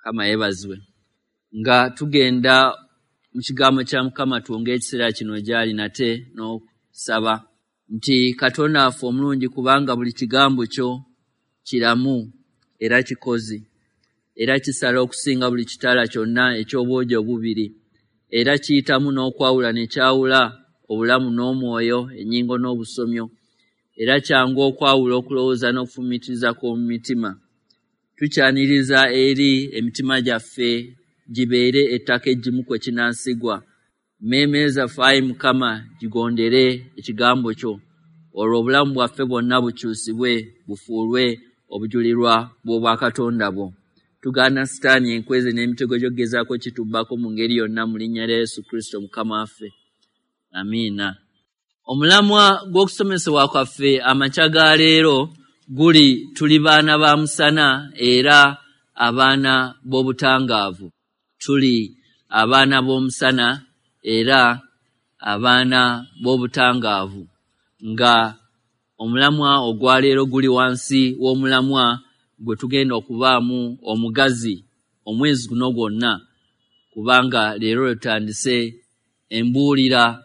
Mukama yeebazibwe. Nga tugenda mu kigambo kya Mukama, twongere ekiseera kino gy'ali nate n'okusaba nti Katonda waffe omulungi, kubanga buli kigambo kyo kiramu era kikozi, era kisala okusinga buli kitala kyonna eky'obwogi obubiri, era kiyitamu n'okwawula ne kyawula obulamu n'omwoyo, ennyingo n'obusomyo, era kyangu okwawula okulowooza n'okufumiitiriza kw'omu mitima. Tukyaniriza eri emitima gyaffe gibeere ettaka eggimu kwe kinaasigwa. Mmeeme zaffe, ayi Mukama, gigondere ekigambo kyo, olwo obulamu bwaffe bwonna bukyusibwe bufuulwe obujulirwa bw'obwakatonda bwo. Tugaana Sitaani, enkweze n'emitego gy'okugezaako kitubbako mu ngeri yonna, mu linnya lya Yesu Kristo Mukama waffe, amiina. Omulamwa gw'okusomesebwa kwaffe amakya ga leero guli tuli baana ba musana era abaana b'obutangaavu. Tuli abaana b'omusana era abaana b'obutangaavu, nga omulamwa ogwaleero guli wansi w'omulamwa gwe tugenda okubaamu omugazi omwezi guno gwonna, kubanga leero lwe tutandise embuulira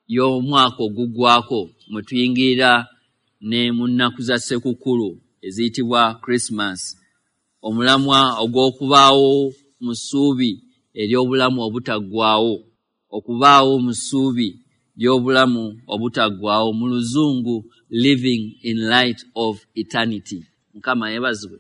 y'omwaka oguggwako, mwe tuyingirira ne mu nnaku za Ssekukkulu eziyitibwa Christmas. Omulamwa ogw'okubaawo mu ssuubi ery'obulamu obutaggwaawo, okubaawo mu ssuubi ly'obulamu obutaggwaawo, mu Luzungu "living in light of eternity". Mukama yeebazibwe.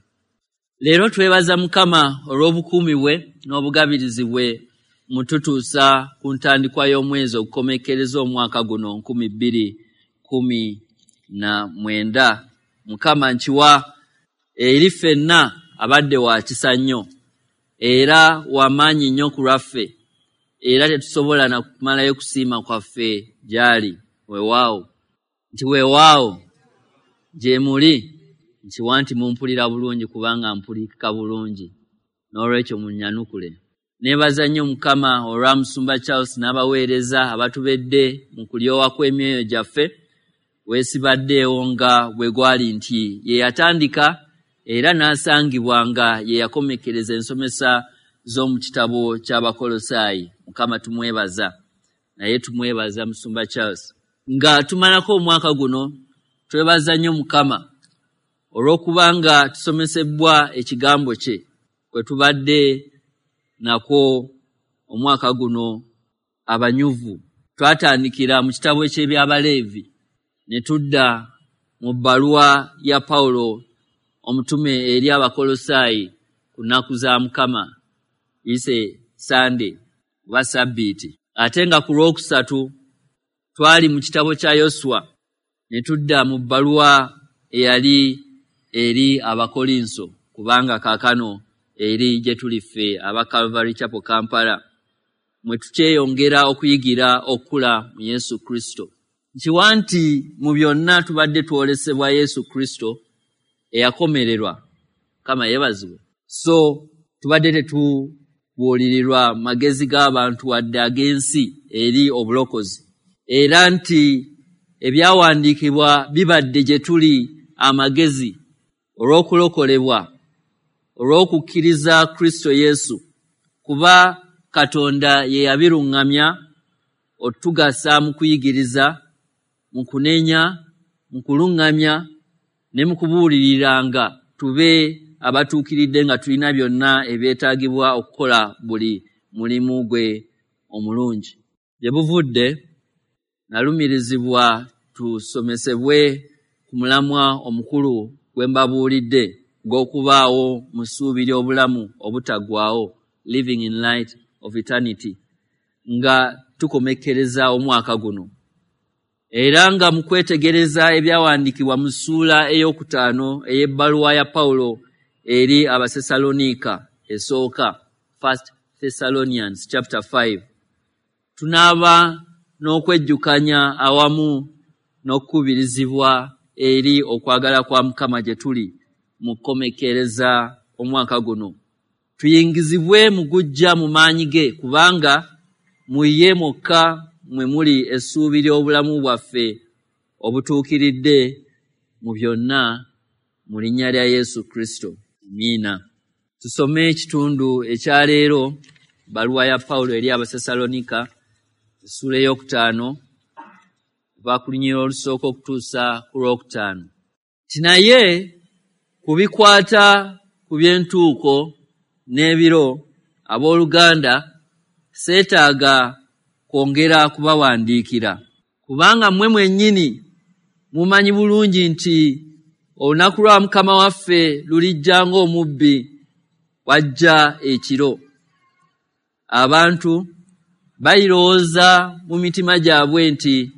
Leero twebaza Mukama olw'obukuumi bwe n'obugabirizi bwe mututuusa ku ntandikwa y'omwezi ogukomekkereza omwaka guno 2019. Mukama nkiwa eri ffenna abadde wa kisa nnyo era wamaanyi nnyo ku lwaffe, era tetusobola na kumalayo kusiima kwaffe gy'ali. Weewaawo nti weewaawo gye muli. Nkiwa nti mumpulira bulungi, kubanga mpulikika bulungi, n'olwekyo munnyanukule. Neebaza nnyo Mukama olwa Musumba Charles n'abaweereza abatubedde mu kulyowa kw'emyoyo gyaffe. Weesibaddeewo nga bwe gwali nti ye yatandika era n'asangibwa nga ye yakomekkereza ensomesa z'omu kitabo ky'Abakolosaayi. Mukama tumwebaza, naye tumwebaza Musumba Charles. Nga tumalako omwaka guno, twebaza nnyo Mukama olw'okuba nga tusomesebbwa ekigambo kye kwe tubadde nakwo omwaka guno abanyuvu. Twatandikira mu kitabo ky'Ebyabaleevi ne tudda mu bbaluwa ya Pawulo omutume eri Abakolosaayi ku nnaku za Mukama, ise Sande oba Sabbiiti. Ate nga ku Lwokusatu twali mu kitabo kya Yoswa ne tudda mu bbaluwa eyali eri Abakolinso, kubanga kaakano eri gye tuli ffe aba Calvary Chapel Kampala mwe tukyeyongera okuyigira okukula mu Yesu Kristo. Nkiwa nti mu byonna tubadde twolesebwa Yesu Kristo eyakomererwa. Mukama yeebazibwe. So tubadde tetubuulirirwa magezi g'abantu wadde ag'ensi eri obulokozi, era nti ebyawandiikibwa bibadde gye tuli amagezi olw'okulokolebwa olw'okukkiriza Kristo Yesu, kuba Katonda ye yabiruŋŋamya otugasa mu kuyigiriza, mu kunenya, mu kuluŋŋamya ne mu kubuuliriranga, tube abatuukiridde nga tulina byonna ebyetaagibwa okukola buli mulimu gwe omulungi. Gye buvudde nalumirizibwa tusomesebwe ku mulamwa omukulu gwe mbabuulidde gw'okubaawo mu ssuubi ly'obulamu obutaggwaawo, living in light of eternity, nga tukomekkereza omwaka guno. Era nga mu kwetegereza ebyawandiikibwa mu ssuula ey'okutaano ey'ebbaluwa ya Pawulo eri Abasessaloniika esooka, First Thessalonians chapter 5, tunaaba n'okwejjukanya awamu n'okukubirizibwa eri okwagala kwa Mukama gye tuli mu kukomekkereza omwaka guno, tuyingizibwe mu gujja mu maanyi ge, kubanga mu ye mwokka mwe muli essuubi ly'obulamu bwaffe obutuukiridde mu byonna, mu linnya lya Yesu Kristo, amiina. Tusome ekitundu ekya leero, bbaluwa ya Pawulo eri Abasesalonika, essuula 5, kuva ku lunyiriri olusooka okutuusa ku 5. Nti naye ku bikwata ku by'entuuko n'ebiro, abooluganda, seetaaga kwongera kubawandiikira, kubanga mmwe mwennyini mumanyi bulungi nti olunaku lwa Mukama waffe lulijja ng'omubbi wajja ekiro. Abantu balirowooza mu mitima gyabwe nti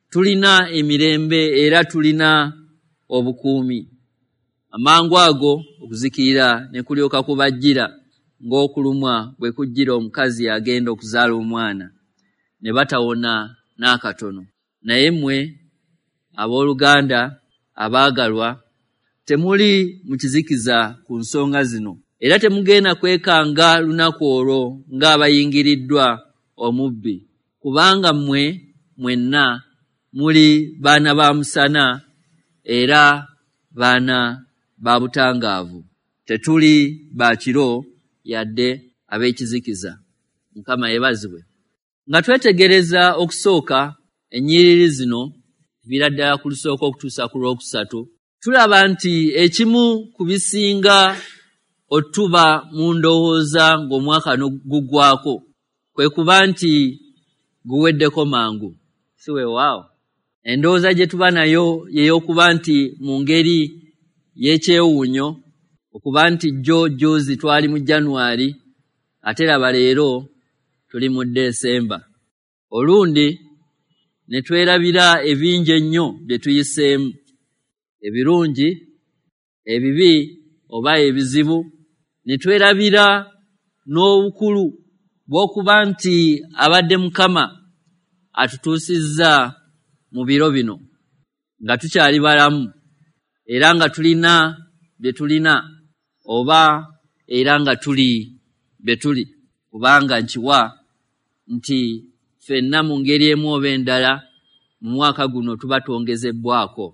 tulina emirembe era tulina obukuumi. Amangu ago okuzikirira ne kulyoka kubajjira ng'okulumwa bwe kujjira omukazi agenda okuzaala omwana, ne batawona n'akatono. Naye mmwe abooluganda abaagalwa, temuli mu kizikiza ku nsonga zino, era temugenda kwekanga lunaku olwo ng'abayingiriddwa omubbi, kubanga mmwe mwenna muli baana ba musana era baana ba butangaavu. Tetuli ba kiro yadde ab'ekizikiza. Mukama yeebazibwe. Nga twetegereza okusooka ennyiriri zino, kuviira ddala ku lusooka okutuusa ku 3, tulaba nti ekimu ku bisinga otuba mu ndowooza ng'omwaka guggwako kwe kuba nti guweddeko mangu. Si weewaawo? Endowooza gye tuba nayo y'ey'okuba nti mu ngeri y'ekyewuunyo, okuba nti jjo jjuuzi twali mu January, ate laba leero tuli mu Desemba. Olundi ne twerabira ebingi ennyo bye tuyiseemu, ebirungi, ebibi oba ebizibu, ne twerabira n'obukulu bw'okuba nti abadde Mukama atutuusizza mu biro bino nga tukyali balamu era nga tulina bye tulina oba era nga tuli bye tuli, kubanga nkiwa nti ffenna mu ngeri emu oba endala mu mwaka guno tuba twongezebbwako.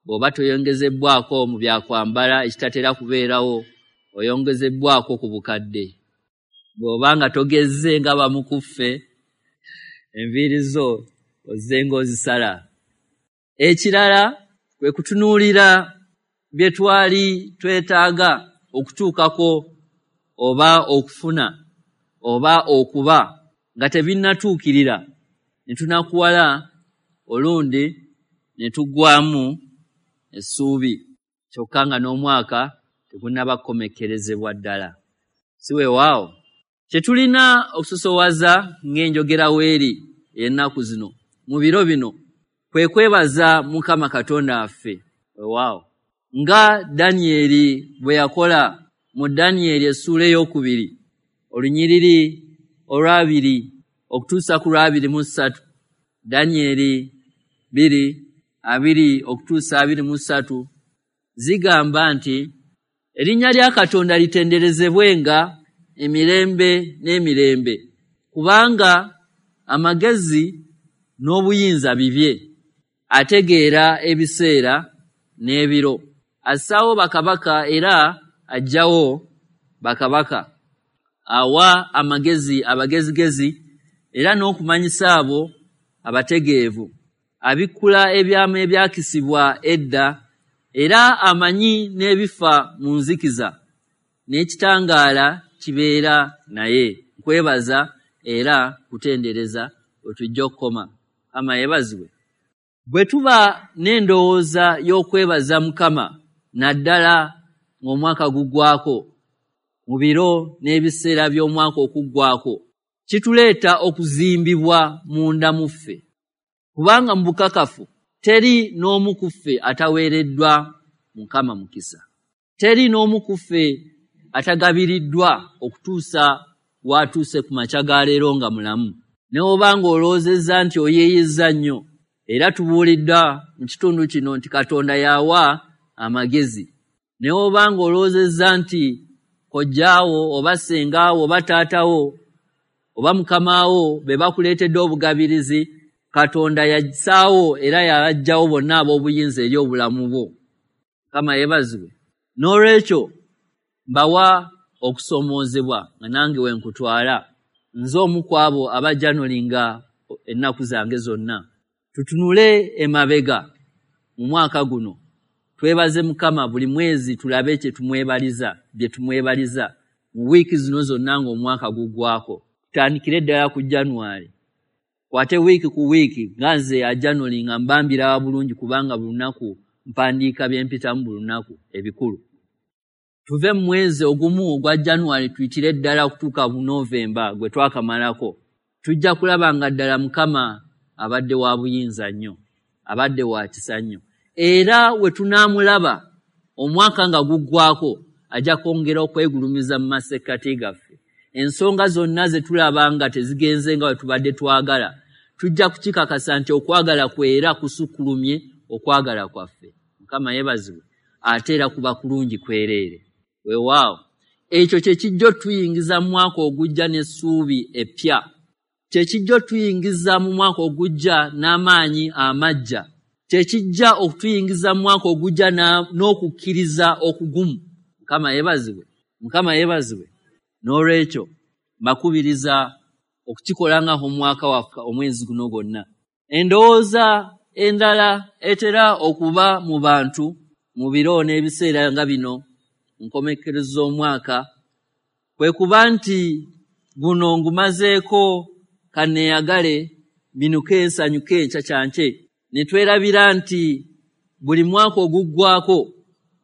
Bw'oba toyongezebbwako mu byakwambala ekitatera kubeerawo, oyongezebbwako ku bukadde. Bw'oba nga togezze nga bamu ku ffe, enviiri zo ozze ng'ozisala. Ekirala kwe kutunuulira bye twali twetaaga okutuukako oba okufuna oba okuba nga tebinnatuukirira, ne tunakuwala olundi ne tuggwaamu essuubi, kyokka nga n'omwaka tegunnaba kukomekkerezebwa ddala. Si weewaawo? Kye tulina okusosowaza ng'enjogera weeri ey'ennaku zino mu biro bino kwe kwebaza Mukama Katonda waffe. Weewaawo. Nga Danyeri bwe yakola mu Danyeri essuula 2, olunyiriri 2 okutuusa ku 23. Danyeri 2:2 okutuusa 23 zigamba nti erinnya lya Katonda litenderezebwenga emirembe n'emirembe, kubanga amagezi n'obuyinza bibye. Ategeera ebiseera n'ebiro, assaawo bakabaka era aggyawo bakabaka, awa amagezi abagezigezi era n'okumanyisa abo abategeevu, abikkula ebyama ebyakisibwa edda, era amanyi n'ebifa mu nzikiza, n'ekitangaala kibeera naye. Nkwebaza era kutendereza wetujja okukoma. Mukama yeebazibwe. Bwe tuba n'endowooza y'okwebaza Mukama naddala ng'omwaka guggwako, mu biro n'ebiseera by'omwaka okuggwako, kituleeta okuzimbibwa munda mu ffe, kubanga mu bukakafu teri n'omu ku ffe ataweereddwa Mukama mukisa. Teri n'omu ku ffe atagabiriddwa okutuusa w'atuuse ku makya ga leero nga mulamu. Ne bw'oba ng'olowoozezza nti oyiiyizza nnyo, era tubuuliddwa mu kitundu kino nti Katonda y'awa amagezi. Ne bw'oba ng'olowoozezza nti kojjaawo oba ssengaawo oba taatawo oba mukamaawo be bakuleetedde obugabirizi, Katonda yassaawo era yabaggyawo bonna ab'obuyinza eri obulamu bwo. Mukama yeebazibwe. N'olwekyo mbawa okusoomoozebwa nga nange we nkutwala, nze omu ku abo abajanolinga ennaku zange zonna. Tutunule emabega mu mwaka guno, twebaze Mukama buli mwezi, tulabe kye tumwebaliza, bye tumwebaliza mu wiiki zino zonna ng'omwaka guggwako. Tutandikire ddala ku January, kwate wiiki ku wiiki, nga nze ajanolinga mbambirawa bulungi, kubanga buli lunaku mpandiika bye mpitamu buli lunaku ebikulu. Tuve mu mwezi ogumu ogwa January tuyitire ddala okutuuka mu Novemba gwe twakamalako, tujja kulaba nga ddala Mukama abadde wa buyinza nnyo, abadde wa kisa nnyo. Era we tunaamulaba omwaka nga guggwako, ajja kwongera okwegulumiza mu masekkati gaffe. Ensonga zonna ze tulaba nga tezigenze nga bwe tubadde twagala, tujja kukikakasa nti okwagala kwe era kusukkulumye okwagala kwaffe. Mukama yeebazibwe, ate era kuba kulungi kwereere. Weewaawo, ekyo kye kijja otuyingiza mu mwaka ogujja n'essuubi eppya, kye kijja otuyingiza mu mwaka ogujja n'amaanyi amaggya, kye kijja okutuyingiza mu mwaka ogujja n'okukkiriza okugumu. Mukama yeebazibwe, Mukama yeebazibwe. N'olwekyo mbakubiriza okukikola nga omwaka waffe omwezi guno gwonna. Endowooza endala etera okuba mu bantu mu biro n'ebiseera nga bino mu nkomekkerezo z'omwaka kwe kuba nti guno ngumazeeko, kanneeyagale, mbinuke, nsanyuke, nkyankyankye, ne twerabira nti buli mwaka oguggwako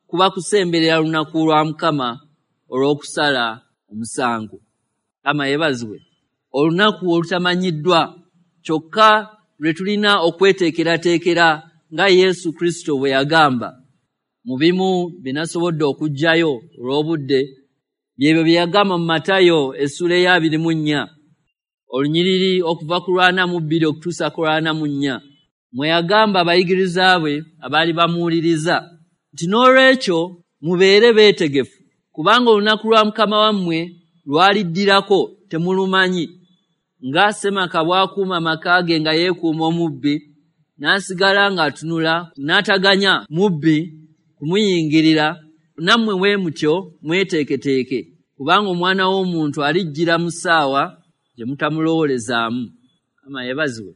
kuba kusemberera lunaku lwa Mukama olw'okusala omusango. Mukama yeebazibwe. Olunaku olutamanyiddwa kyokka lwe tulina okweteekerateekera nga Yesu Kristo bwe yagamba. Mu bimu bye nasobodde okuggyayo olw'obudde byebyo bye yagamba mu Matayo essula eya 24, olunyiriri okuva ku 42 okutuusa ku 44, mwe yagamba abayigiriza be abaali bamuwuliriza nti n'olwekyo mubeere beetegefu, kubanga olunaku lwa Mukama wammwe lwaliddirako temulumanyi. Nga ssemaka bw'akuuma amaka ge nga yeekuuma omubbi, n'asigala ng'atunula n'ataganya mubbi kumuyingirira, nammwe bwe mutyo mweteeketeeke, kubanga Omwana w'Omuntu alijjira mu ssaawa gye mutamulowoolezaamu. Mukama yeebazibwe.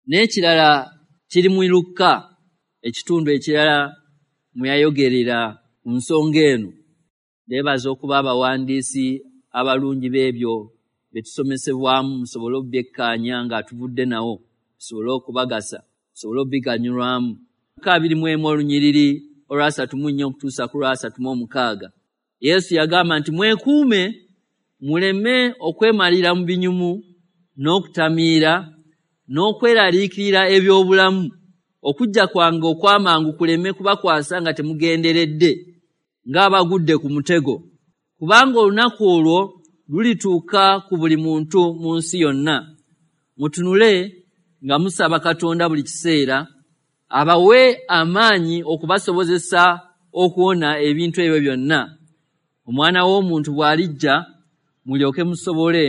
N'ekirala kiri mu Lukka, ekitundu ekirala mwe yayogerera ku nsonga eno. Ndeebaza okuba abawandiisi abalungi b'ebyo bye tusomesebwamu, musobole okubyekkaanya nga tuvudde nawo, tusobole okubagasa, tusobole okubiganyulwamu. Lukka 21 olunyiriri olwa 34 okutuusa ku lwa 36, Yesu yagamba nti mwekuume muleme okwemalira mu binyumu n'okutamiira n'okweraliikirira eby'obulamu, okujja kwange okw'amangu kuleme kubakwasa nga temugenderedde, ng'abagudde ku mutego, kubanga olunaku olwo lulituuka ku buli muntu mu nsi yonna. Mutunule nga musaba Katonda buli kiseera abawe amaanyi okubasobozesa okuwona ebintu ebyo byonna, Omwana w'Omuntu bw'alijja mulyoke musobole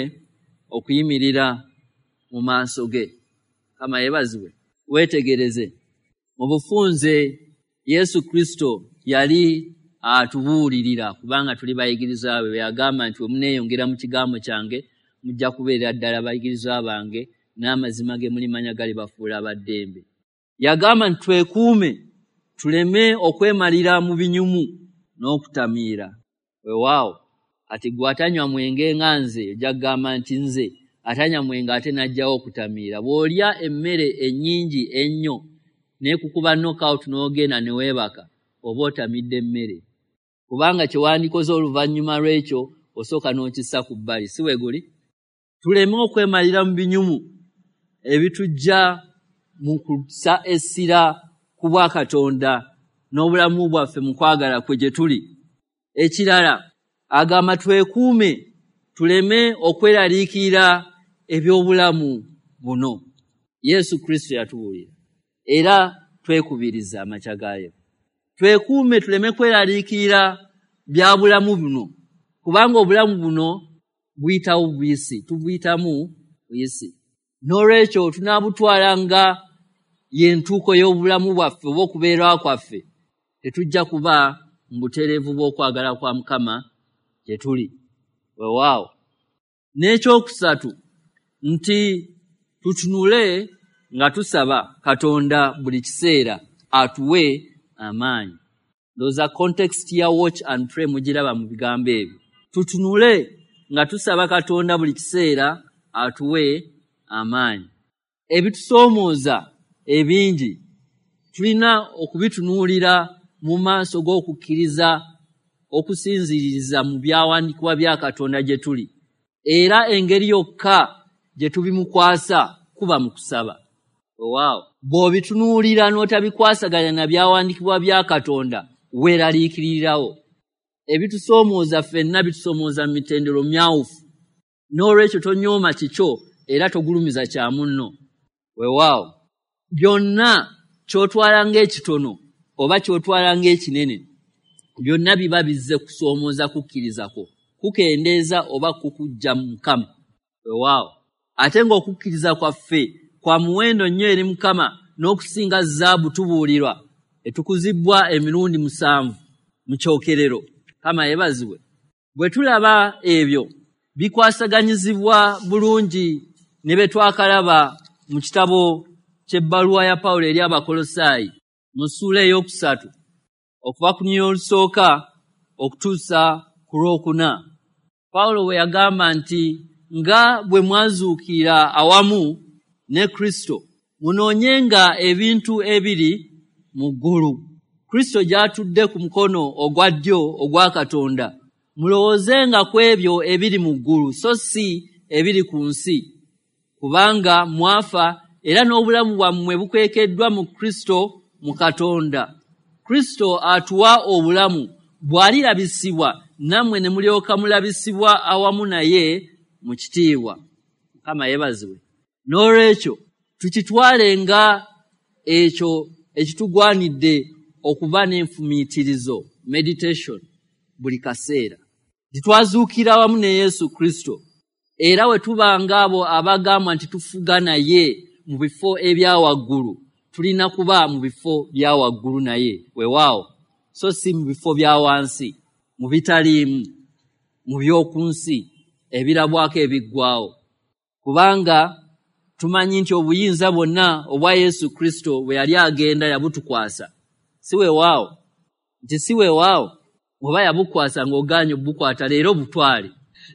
okuyimirira mu maaso ge. Mukama yeebazibwe. Weetegereze mu bufunze Yesu Kristo yali atubuulirira, kubanga tuli bayigirizwa be, bwe yagamba nti bwe muneeyongera mu kigambo kyange mujja kubeerera ddala bayigirizwa bange, n'amazima ge mulimanya galibafuula abaddembe. Yagamba nti twekuume tuleme okwemalira mu binyumu n'okutamiira. Weewaawo, kati ggwe atanywa mwenge nga nze ojja kugamba nti nze atanywa mwenge ate n'aggyawo okutamiira. Bw'olya emmere ennyingi ennyo n'ekukuba knockout n'ogenda ne weebaka, oba otamidde mmere, kubanga kye wandikoze oluvannyuma lw'ekyo osooka n'okissa ku bbali, si bwe guli? Tuleme okwemalira mu binyumu ebitujja mu kussa essira ku bwakatonda n'obulamu bwaffe mu kwagala kwe gye tuli. Ekirala agamba twekuume tuleme okweraliikirira eby'obulamu buno. Yesu Kristo yatubuulira era twekubiriza amakya ga leero. Twekuume tuleme kweraliikirira bya bulamu buno, kubanga obulamu buno buyitawo buyisi, tubuyitamu buyisi. N'olwekyo tunaabutwala nga y'entuuko y'obulamu bwaffe oba okubeerawo kwaffe, tetujja kuba mu butereevu bw'okwagala kwa Mukama gye tuli. Weewaawo. N'ekyokusatu nti tutunule nga tusaba Katonda buli kiseera atuwe amaanyi. Ndowooza context ya watch and pray mugiraba mu bigambo ebyo. Tutunule nga tusaba Katonda buli kiseera atuwe amaanyi. Ebitusoomooza ebingi tulina okubitunuulira mu maaso g'okukkiriza okusinziiriza mu byawandiikibwa bya Katonda gye tuli. Era engeri yokka gye tubimukwasa kuba mu kusaba. Weewaawo. Bw'obitunuulira n'otabikwasaganya na byawandiikibwa bya Katonda, weeraliikirirawo. Ebitusoomooza ffenna bitusoomooza mu mitendero myawufu. N'olwekyo tonyooma kikyo era togulumiza kya munno. Weewaawo. Byonna ky'otwala ng'ekitono oba ky'otwala ng'ekinene, byonna biba bizze kusoomooza kukkiriza kwo, kukendeeza oba kukuggya mu Mukama. Weewaawo. Ate ng'okukkiriza kwaffe kwa muwendo nnyo eri Mukama n'okusinga zaabu tubuulirwa etukuzibbwa emirundi 7 mu kyokerero. Mukama yeebazibwe. Bwe tulaba ebyo bikwasaganyizibwa bulungi ne bye twakalaba mu kitabo ky'ebbaluwa ya Pawulo eri Abakolosaayi mu ssuula 3 okuva ku lunyiriri olusooka okutuusa ku lwokuna. Pawulo bwe yagamba nti nga bwe mwazuukira awamu ne Kristo, munoonyenga ebintu ebiri mu ggulu, Kristo gy'atudde ku mukono ogwa ddyo ogwa Katonda. Mulowoozenga ku ebyo ebiri mu ggulu so si ebiri ku nsi, kubanga mwafa era n'obulamu bwammwe bukwekeddwa mu Kristo mu Katonda. Kristo atuwa obulamu, bw'alirabisibwa nammwe ne mulyoka mulabisibwa awamu naye mu kitiibwa. Mukama yeebazibwe. N'olwekyo tukitwale nga ekyo ekitugwanidde okuba n'enfumiitirizo, meditation, buli kaseera. Titwazuukira wamu ne Yesu Kristo, era we tuba ng'abo abagamba nti tufuga naye mu bifo ebya waggulu, tulina kuba mu bifo bya waggulu naye, weewaawo, so si mu bifo bya wansi, mu bitaliimu, mu by'oku nsi ebirabwako ebiggwaawo. Kubanga tumanyi nti obuyinza bwonna obwa Yesu Kristo bwe yali agenda yabutukwasa. Si weewaawo? Nti si weewaawo? Oba yabukwasa ng'ogaanye obukwata leero butwale.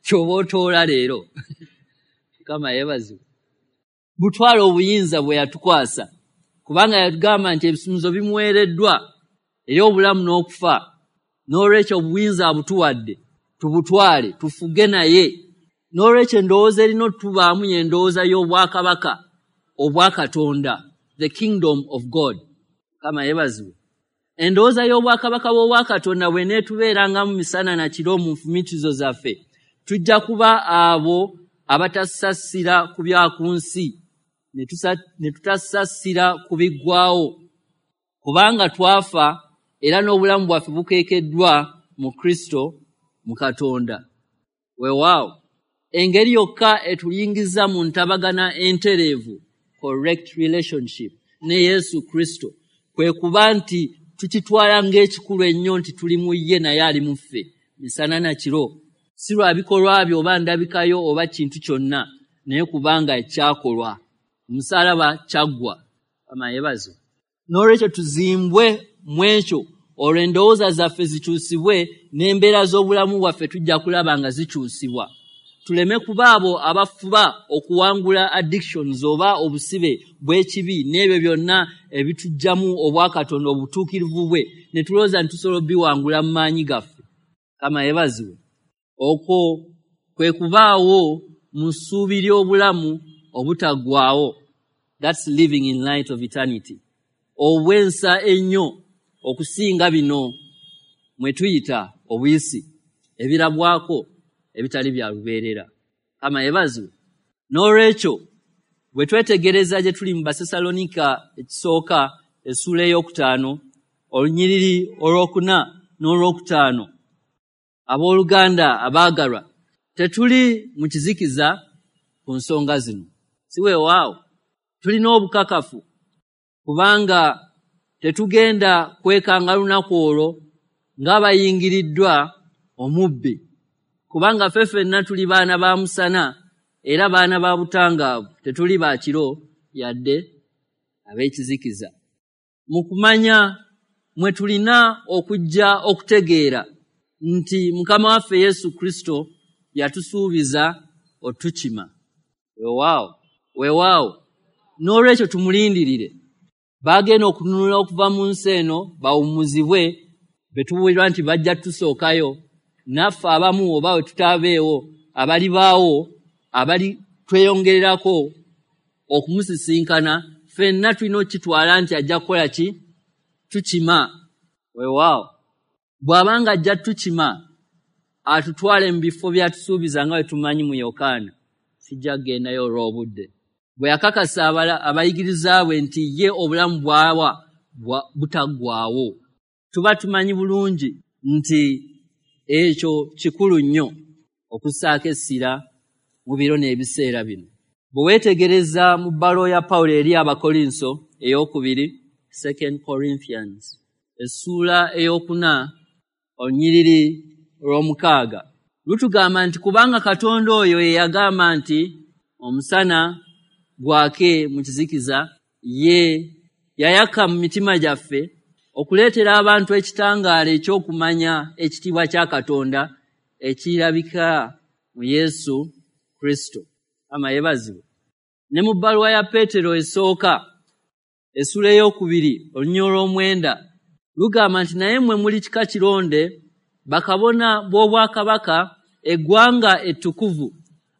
Ky'oba otoola leero. Mukama yeebazibwe. Butwale obuyinza bwe yatukwasa. Kubanga yatugamba nti ebisumuzo bimuweereddwa eri obulamu n'okufa. N'olwekyo obuyinza abutuwadde, tubutwale, tufuge naye. N'olwekyo endowooza erina otubaamu y'endowooza y'obwakabaka obwa Katonda, the kingdom of God. Mukama yeebazibwe. Endowooza y'obwakabaka bw'Obwakatonda bw'eneetubeerangamu misana na kiro mu nfumiitirizo zaffe, tujja kuba abo abatasasira ku bya ku nsi, ne tutasasira ku biggwaawo, kubanga twafa era n'obulamu bwaffe bukeekeddwa mu Kristo mu Katonda. Weewaawo. Engeri yokka etuyingiza mu ntabagana entereevu, correct relationship, ne Yesu Kristo, kwe kuba nti tukitwala ng'ekikulu ennyo nti tuli mu ye naye ali mu ffe misana na kiro, si lwa bikolwa byo oba ndabikayo oba kintu kyonna, naye kubanga ekyakolwa omusaalaba kyaggwa. Mukama yeebazibwe. N'olwekyo tuzimbwe mu ekyo, olwo endowooza zaffe zikyusibwe n'embeera z'obulamu bwaffe tujja kulaba nga zikyusibwa. Tuleme kuba abo abafuba okuwangula addictions oba obusibe bw'ekibi n'ebyo byonna ebituggyamu obwakatonda obutuukirivu bwe, ne tulowooza nti tusobola obiwangula mu maanyi gaffe. Mukama yeebazibwe. Okwo kwe kubaawo mu ssuubi ly'obulamu obutaggwaawo. That's living in light of eternity. Obwensa ennyo okusinga bino mwe tuyita obuyisi ebirabwako ebitali bya lubeerera. Mukama yeebazibwe. N'olwekyo bwe twetegereza gye tuli mu Basesalonika ekisooka essuula 5 olunyiriri 4 n'olwokutaano, abooluganda abaagalwa, tetuli mu kizikiza ku nsonga zino. Si weewaawo? Tulina obukakafu kubanga tetugenda kwekanga lunaku olwo ng'abayingiriddwa omubbi. Kubanga ffe ffenna tuli baana ba musana era baana ba butangaavu, tetuli ba kiro yadde ab'ekizikiza. Mu kumanya mwe tulina okujja okutegeera nti Mukama waffe Yesu Kristo yatusuubiza otukima. Weewaawo, weewaawo, n'olwekyo tumulindirire. Baagenda okununula okuva mu nsi eno bawummuzibwe, be tubuulirwa nti bajja tusookayo, naffe abamu oba we tutaabeewo abalibaawo abali tweyongererako okumusisinkana, ffenna tulina okukitwala nti ajja kukola ki? Tukima. Weewaawo, bw'abanga ajja tukima atutwale mu bifo by'atusuubiza nga bwe tumanyi mu Yokaana, sijja kugendayo olw'obudde. Bwe yakakasa abayigiriza bwe nti ye obulamu bw'awa butaggwaawo. Tuba tumanyi bulungi nti ekyo kikulu nnyo okussaako essira mu biro n'ebiseera bino. Bwe weetegereza mu bbaluwa ya Pawulo eri Abakolinso ey'okubiri, 2 Corinthians, essuula 4 olunyiriri olw'omukaaga, lutugamba nti kubanga Katonda oyo ye yagamba nti omusana gwake mu kizikiza, ye yayaka mu mitima gyaffe okuleetera abantu ekitangaala eky'okumanya ekitiibwa kya Katonda ekirabika mu Yesu Kristo. Mukama yeebazibwe. Ne mu bbaluwa ya Peetero esooka essuula 2 olunyiriri olw'omwenda lugamba nti naye mmwe muli kika kironde, bakabona b'obwakabaka, eggwanga ettukuvu,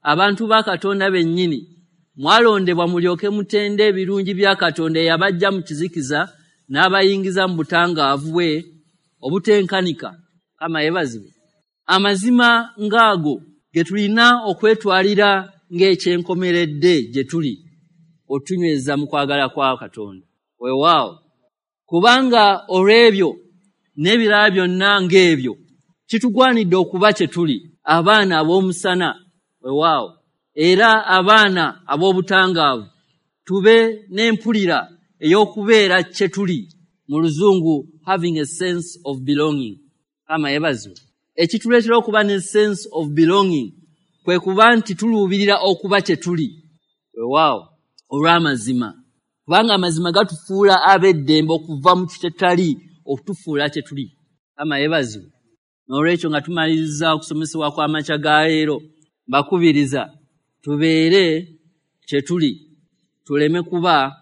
abantu ba Katonda bennyini, mwalondebwa mulyoke mutende ebirungi bya Katonda eyabaggya mu kizikiza n'abayingiza mu butangaavu bwe obutenkanika. Mukama yeebazibwe. Amazima ng'ago ge tulina okwetwalira ng'ekyenkomeredde gye tuli otunyweza mu kwagala kwa Katonda. Weewaawo, kubanga olw'ebyo n'ebirala byonna ng'ebyo kitugwanidde okuba kye tuli, abaana ab'omusana. Weewaawo, era abaana ab'obutangaavu, tube n'empulira ey'okubeera kye tuli, mu Luzungu having a sense of belonging. Mukama yeebazibwe. Ekituleetera okuba ne sense of belonging kwe kuba nti tuluubirira okuba kye tuli. Weewaawo, olw'amazima, kubanga amazima gatufuula ab'eddembe okuva mu kitetali okutufuula kye tuli. Mukama yeebazibwe. N'olwekyo nga tumaliriza okusomesebwa kw'amakya ga leero, mbakubiriza tubeere kye tuli, tuleme kuba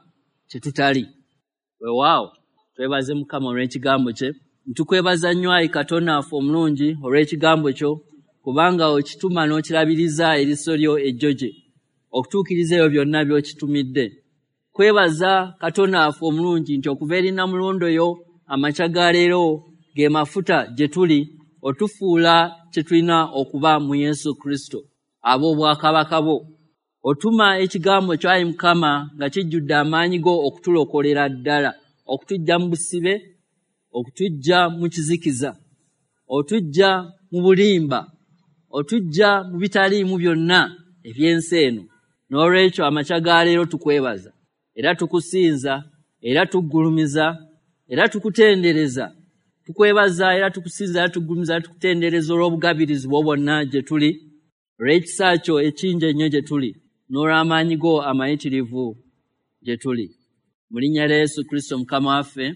kye tutali. Weewaawo, twebaze Mukama olw'ekigambo kye. Ntukwebaza nnyo ayi Katonda waffe omulungi olw'ekigambo kyo, kubanga okituma n'okirabiriza eriiso lyo ejjoje okutuukiriza ebyo byonna by'okitumidde. Kwebaza Katonda waffe omulungi nti okuva eri Nnamulondo yo amakya ga leero ge mafuta gye tuli otufuula kye tulina okuba mu Yesu Kristo ab'obwakabaka bwo. Otuma ekigambo kyo ayi Mukama nga kijjudde amaanyi go okutulokolera ddala, okutuggya mu busibe, okutuggya mu kizikiza, otuggya mu bulimba, otuggya mu bitaliimu byonna eby'ensi eno. N'olwekyo amakya ga leero tukwebaza era tukusinza era tuggulumiza era tukutendereza. Tukwebaza era tukusinza era tuggulumiza era tukutendereza olw'obugabirizi bwo bwonna gye tuli, olw'ekisa kyo ekingi ennyo gye tuli, n'olw'amaanyi go amayitirivu gye tuli. Mu linnya lya Yesu Kristo Mukama waffe.